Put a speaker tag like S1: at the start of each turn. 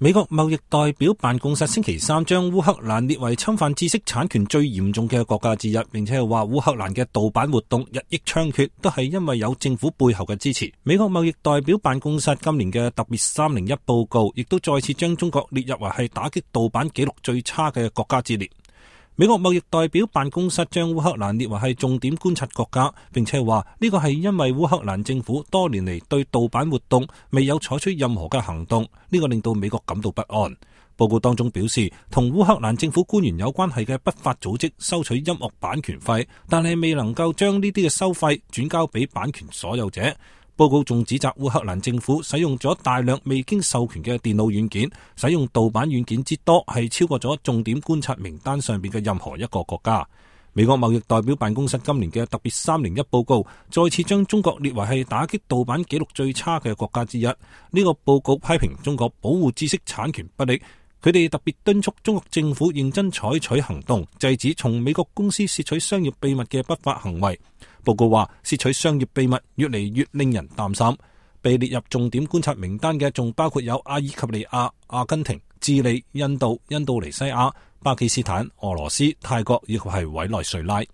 S1: 美國貿易代表辦公室星期三將烏克蘭列為侵犯知識產權最嚴重嘅國家之一，並且係話烏克蘭嘅盜版活動日益猖獗，都係因為有政府背後嘅支持。美國貿易代表辦公室今年嘅特別301報告，亦都再次將中國列入為係打擊盜版記錄最差嘅國家之列。美國貿易代表辦公室將烏克蘭列為係重點觀察國家，並且話呢個係因為烏克蘭政府多年嚟對盜版活動未有採取任何嘅行動，呢個令到美國感到不安。報告當中表示，同烏克蘭政府官員有關係嘅不法組織收取音樂版權費，但係未能夠將呢啲嘅收費轉交俾版權所有者。報告仲指責烏克蘭政府使用咗大量未經授權嘅電腦軟件，使用盜版軟件之多係超過咗重點觀察名單上邊嘅任何一個國家。美國貿易代表辦公室今年嘅特別301報告再次將中國列為係打擊盜版記錄最差嘅國家之一。呢個報告批評中國保護知識產權不力，佢哋特別敦促中國政府認真採取行動，制止從美國公司竊取商業秘密嘅不法行為。報告話，竊取商業秘密越嚟越令人擔心。被列入重點觀察名單嘅仲包括有阿爾及利亞、阿根廷、智利、印度、印度尼西亞、巴基斯坦、俄羅斯、泰國以及係委內瑞拉。